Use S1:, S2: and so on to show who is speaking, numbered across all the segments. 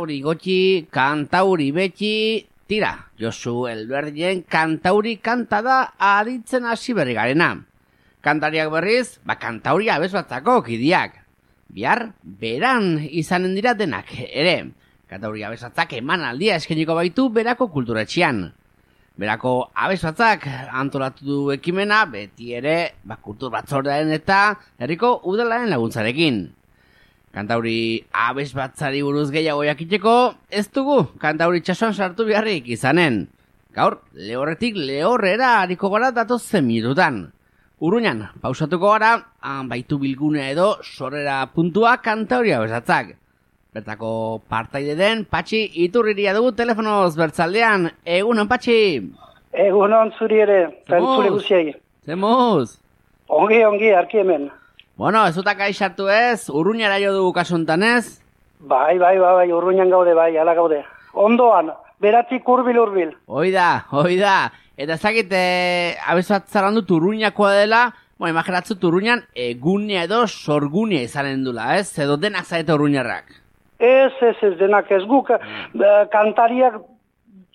S1: kantauri gotxi, kantauri betxi, tira, Josu Elberdien kantauri kanta da aditzen hasi berri garena. Kantariak berriz, kantauri abesbatzako kidiak. Bihar, beran izanen dira denak, ere. Kantauri abesbatzak emanaldia eskainiko baitu berako kulturetxean. Berako abesbatzak antolatu du ekimena, beti ere, kultur batzordearen eta herriko udalaren laguntzarekin. Kantauri abesbatzari buruz gehiago jakiteko, ez dugu kantauri txasuan sartu beharrik izanen. Gaur, lehorretik lehorrera hariko gara datozen minututan. Urruñan, pausatuko gara, baitu bilgunea edo sorrera puntua kantauri abesatzak. Bertako partaide den Patxi Iturriria dugu telefonoz bertzaldean. Egunon, Patxi!
S2: Egunon zuri ere, zure guziai.
S1: Zemuz!
S2: Ongi, arki hemen.
S1: Bueno, ez utak aixartu ez, Urruñara jo dugu kasuntan ez?
S2: Bai, Urruñan gaude, ala gaude. Ondoan, beratik urbil.
S1: Oida. Eta ezakit, abesatzaran dut Urruñakoa dela, imaginatzut Urruñan egunea edo sorgunea izanen dula, ez? Edo denak zaete Urruñarrak.
S2: Ez, denak ez guk, kantariak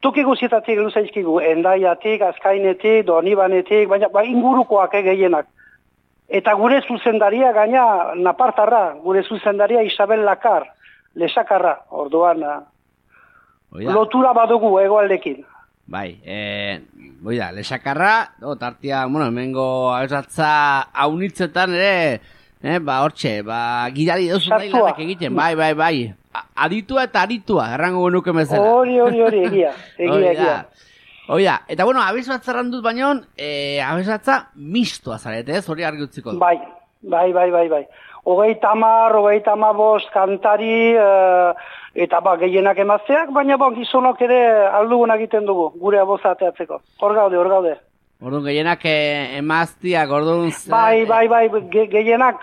S2: toki guzietatik luzaizkigu, Endaiatik, Azkainetik, Donibanetik, baina ingurukoak gehienak. Eta gure zuzendaria gaina napartarra, gure zuzendaria Isabel Lakar, lesakarra, orduan lotura badugu egoaldekin.
S1: Bai, lesakarra, tartia, hemengo abesatza haunitzetan ere, hortxe, gidari dozu nahi lanak egiten, bai. Aditua eta aritua, errango genuke mezela.
S2: Hori, egia.
S1: Oida, eta abesbatzarran dut baino, abesbatza mistoa zarete, ez? Hori argi utziko du.
S2: Bai. 30, 35 kantari, eta gehienak emazteak, baina gizonok ere aldugun egiten dugu, gure aboza ateatzeko. Hor gaude.
S1: Orduan, gehienak emaztiak, orduan...
S2: Bai, gehienak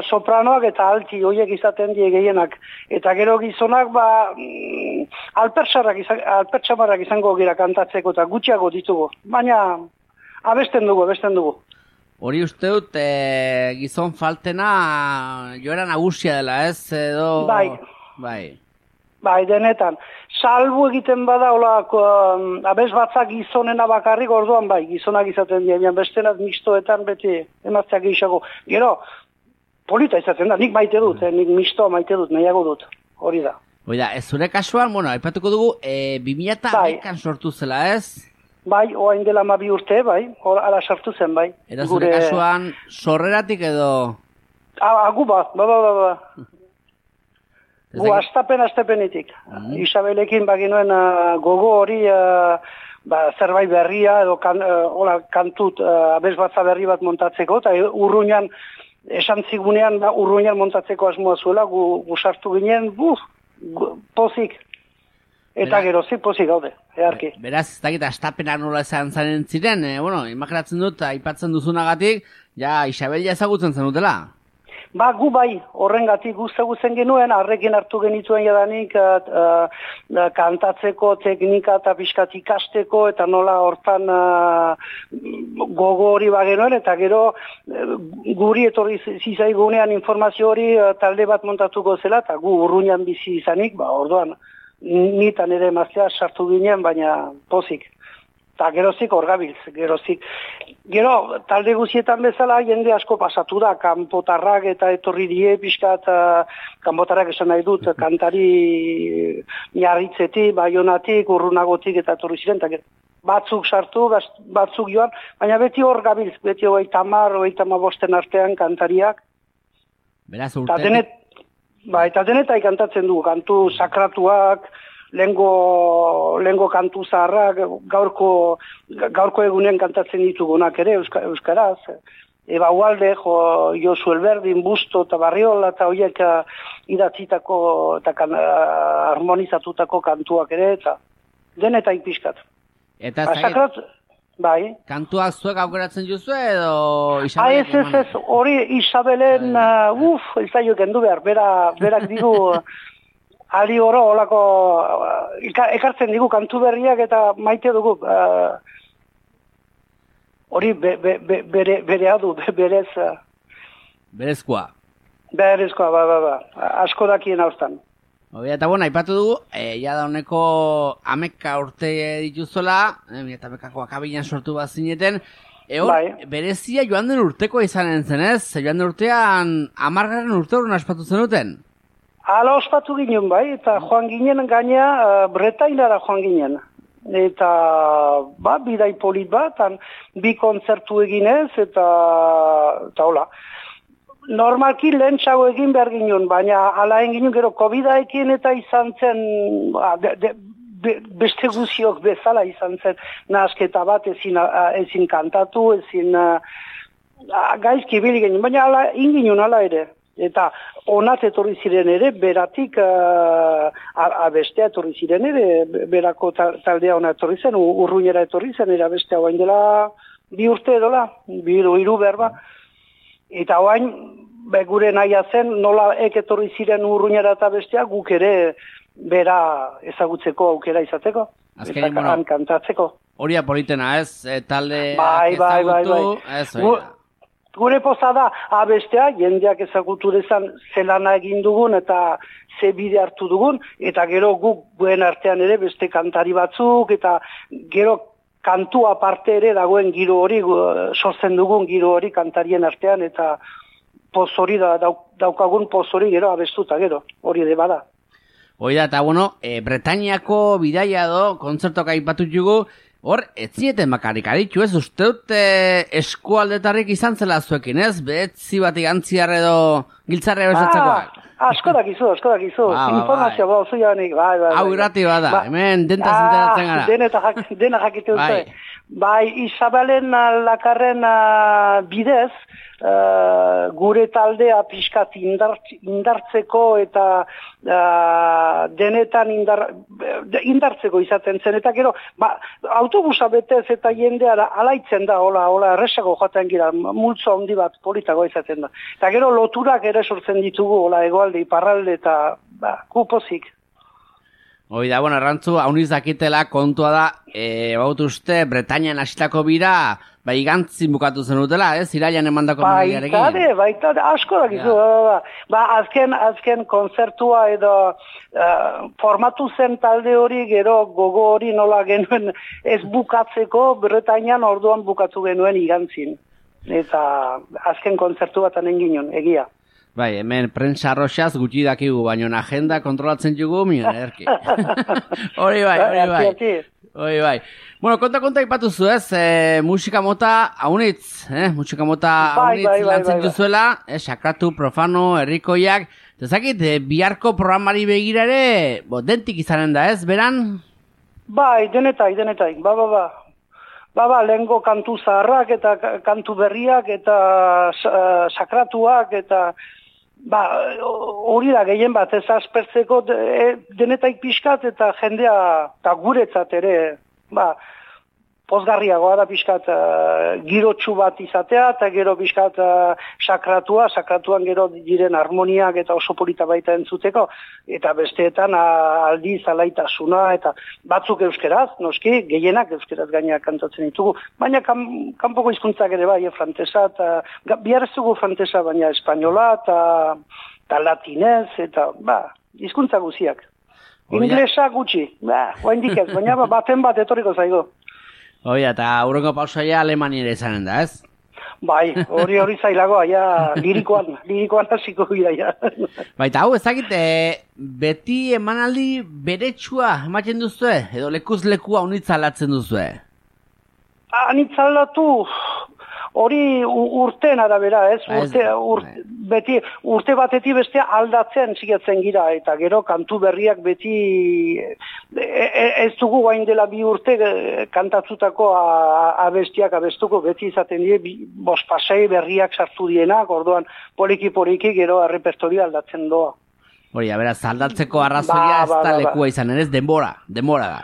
S2: sopranoak eta alti, horiek izaten die gehienak. Eta gero gizonak, alpertsamarrak izango gira kantatzeko eta gutxiago ditugu. Baina, abesten dugu.
S1: Hori uste dut, gizon faltena joera nagusia dela, ez? Edo... Bai,
S2: denetan. Salbu egiten bada, abesbatzak gizonena bakarrik, orduan gizonak izaten dira, bestenaz mistoetan beti emazteak gehiago. Gero, polita izaten da, nik maite dut, nik mistoa maite dut, nahiago dut, hori da.
S1: Oida, ez zure kasuan, aipatuko dugu, 2011an sortu zela, ez?
S2: Bai, oain dela 2 urte, ala sartu zen, bai.
S1: Eta zure kasuan, sorreratik edo...
S2: Gu ba. Gu astapenetik. Isabelekin baginuen gogo hori zerbait berria edo kantut abesbatza berri bat montatzeko, eta Urruñan esan zigunean Urruñan montatzeko asmoa zuela, gu sartu ginen, pozik. Eta gerozik pozik gaude, eharki.
S1: Beraz, ez dakit astapena nola esan zaren ziren, imaginatzen dut, aipatzen duzunagatik, Isabel ezagutzen zenutela.
S2: Gu horrengatik guztagutzen genuen, harrekin hartu genituen jadanik kantatzeko teknika eta pixkat ikasteko, eta nola hortan gogo hori bagenuen, eta gero guri etorri zizaigunean informazio hori talde bat montatuko zela, eta gu Urruñan bizi izanik, orduan, nitan ere emaztea sartu ginen, baina pozik. Eta gerozik orgabiltz, Gero, talde guzietan bezala, jende asko pasatu da, kanpotarrak eta etorri die pixkat, kanpotarrak esan nahi dut, kantari Miarritzetik, Baionatik, Urrunagotik eta etorri ziren, eta batzuk sartu, batzuk joan, baina beti hor gabiltz, beti 30-35 artean kantariak.
S1: Beraz urte?
S2: Eta denetai kantatzen du, kantu sakratuak, lehengo kantu zaharrak, gaurko egunen kantatzen ditugunak ere, euskaraz. Eba Ualde, Josu Elberdin, Busto eta Barriola, eta horiek idatzitako eta harmonizatutako kantuak ere, eta denetai pixkat.
S1: Eta
S2: bai.
S1: Kantuak zuek aukeratzen duzu edo Isabelek?
S2: Ez, hori Isabelen, ez da jo kendu behar, berak digu... Ali oro, olako, ekartzen digu kantu berriak eta maite dugu. Hori berea du, berez.
S1: Berezkoa.
S2: Berezkoa, ba. Asko dakien haustan.
S1: Eta bueno, aipatu dugu, ja da honeko 11 urte dituzola, eta bekako akabilan sortu bat zineten, berezia joan den urteko izanen zenez, joan den urtean 10. urte horren aspatu zenuten?
S2: Hala ospatu ginen bai, eta joan ginen gaina Bretainara joan ginen. Eta, bidai polit bat, bi kontzertu eginez, eta hola. Normalki lehentxago egin behar ginen, baina hala egin gero COVID-aekin eta izan zen, beste guziok bezala izan zen, nahasketa bat ezin kantatu, ezin gaizki bili ginen, baina hala inginen hala ere. Eta onat etorri ziren ere, beratik abestea etorri ziren ere, berako taldea ona etorri zen, urruñera etorri zen, era bestea oain dela 2 urte edola, 3 berba. Eta oain, gure nahia zen, nola etorri ziren urruñera eta bestea, guk ere bera ezagutzeko aukera izateko.
S1: Azkenin, bueno,
S2: kantatzeko.
S1: Horia politena ez, talde
S2: ezagutu,
S1: ez,
S2: Gure poza da, abestea, jendeak ezagutu dezan zelana egin dugun eta ze bide hartu dugun, eta gero guk guen artean ere beste kantari batzuk, eta gero kantu aparte ere dagoen giro hori, sortzen dugun giro hori kantarien artean, eta poz hori daukagun poz hori gero abestuta gero, hori ere bada.
S1: Hoi da, eta bueno, Bretainiako bidaia do, kontzertok aipatu jugu, hor, ez zieten bakarrik aditu, ez? Uste dut eskualdetarrik izan zela zuekin, ez? Behetzi bat igantziar edo giltzarre besatzekoak.
S2: Asko dakizu. Informazioa ba, oso janik, bai.
S1: Hau irrati bada, hemen dentaz enteratzen gara.
S2: Dena jakite dute. Bai, Isabelen Lakarren bidez, gure taldea pixkat indartzeko eta denetan indartzeko izaten zen. Eta gero, autobusa betez eta jendea alaitzen da, hola erresago joaten gira, multzo handi bat politago izaten da. Eta gero loturak ere sortzen ditugu, hola egoalde, iparralde eta kupozik.
S1: Hoi da, bueno, errantzu, hauniz dakitela kontua da, baut uste, Bretainian hasitako bira, igantzin bukatu zen utela, ez? Iraian emandako
S2: miliarekin. Baitade, asko dakizu. Azken konzertua edo formatu zen talde hori, gero gogo hori nola genuen ez bukatzeko, Bretainian orduan bukatu genuen igantzin. Eta azken konzertu bat anen ginen, egia.
S1: Bai, hemen prentsa arroxaz gutxi dakigu, baina agenda kontrolatzen jugu, miren, erki. Hori bai. Bueno, konta ipatu zu, ez? Musika mota haunitz, musika mota haunitz lantzen duzuela, sakratu, profano, herrikoiak. Ezakit, biharko programari begira ere, dentik izanen da, ez, beran?
S2: Bai, denetai. Lehengo kantu zaharrak eta kantu berriak eta sakratuak eta hori da gehien bat ez aspertzeko denetaik pixkat eta jendea eta guretzat ere pozgarriagoa da pixkat girotsu bat izatea eta gero pixkat sakratuan gero diren harmoniak eta oso polita baita entzuteko eta besteetan aldiz alaitasuna eta batzuk euskeraz, noski, gehienak euskeraz gainak kantatzen ditugu, baina kanpoko hizkuntzak ere bai, frantesa eta bihar ez dugu frantesa baina espainola eta latinez eta hizkuntza guziak. Inglesa gutxi, oaindik ez, baina baten bat etorriko zaigo.
S1: Oia, eta aurrengo pausaia Alemaniera izanen da, ez?
S2: Bai, hori zailagoa, ja, lirikoan hasiko gira, ja.
S1: Baita, hau, ezakit, beti emanaldi beretsua ematen duzue, edo lekuz lekua unitzalatzen duzue?
S2: Anitzalatu, hori urteen arabera, ez? Beti urte batetik bestea aldatzen zigatzen gira, eta gero kantu berriak beti ez dugu guain dela 2 urte kantatzutako abestiak abestuko, beti izaten die, 5 berriak sartu dienak, orduan poliki gero repertoria aldatzen doa.
S1: Hori, beraz, aldatzeko arrazoia ez da lekua izan, ez denbora da.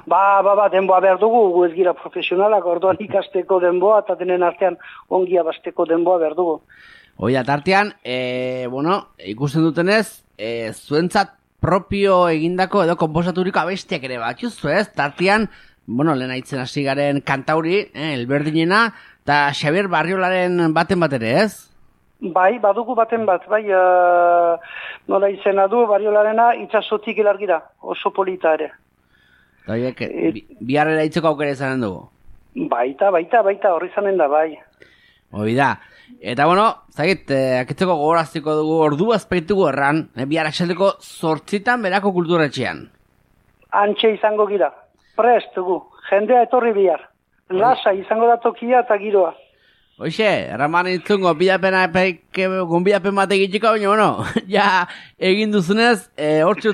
S2: Denboa behar dugu, gu ez gira profesionalak, orduan ikasteko denboa, eta denen artean ongi abasteko denboa behar dugu.
S1: Hoi, tartean, ikusten dutenez, zuentzat propio egindako edo konposaturiko abestiak ere batxuzu, ez? Tartean, lehen aitzen hasi garen kantauri, elberdinena, eta Xabier Barriolaren baten bat ere, ez?
S2: Bai, badugu baten bat, bai, nola izena du, Bariolarena itxasotik ilargira, oso polita ere.
S1: Doiek, biharrera itzeko aukera izanen dugu.
S2: Baita, horri zanen da, bai.
S1: Hoi da. Eta bueno, zagit, akitzeko gogoraztiko dugu ordu azpeitugu erran, bihar axaldeko 8 berako kulturetxean.
S2: Antxe izango gira, prest dugu, jendea etorri bihar. Lasa izango da tokia eta giroa.
S1: Hoxe, erraman itzun gonbidapen bat egitxiko, baina, bueno, ja egin duzunez, hortxe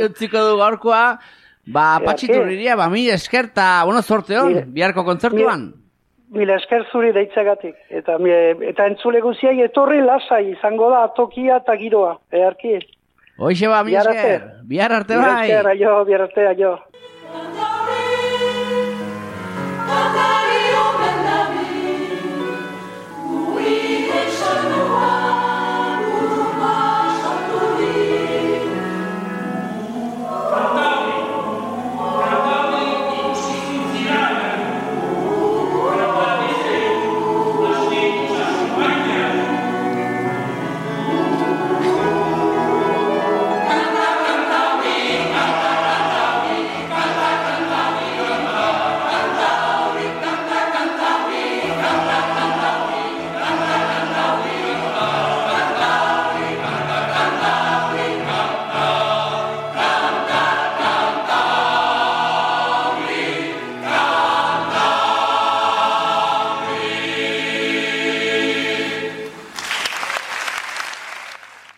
S1: utziko du gaurkoa, patxiturriria, mila esker, eta, bueno, sorte hon, biharko kontzertuan.
S2: Mila esker zuri deitzagatik, eta entzule guziai etorri lasai izango da tokia eta giroa, eharki.
S1: Hoxe mila esker, bihar arte bai.
S2: Mila esker, bihar arte, aio.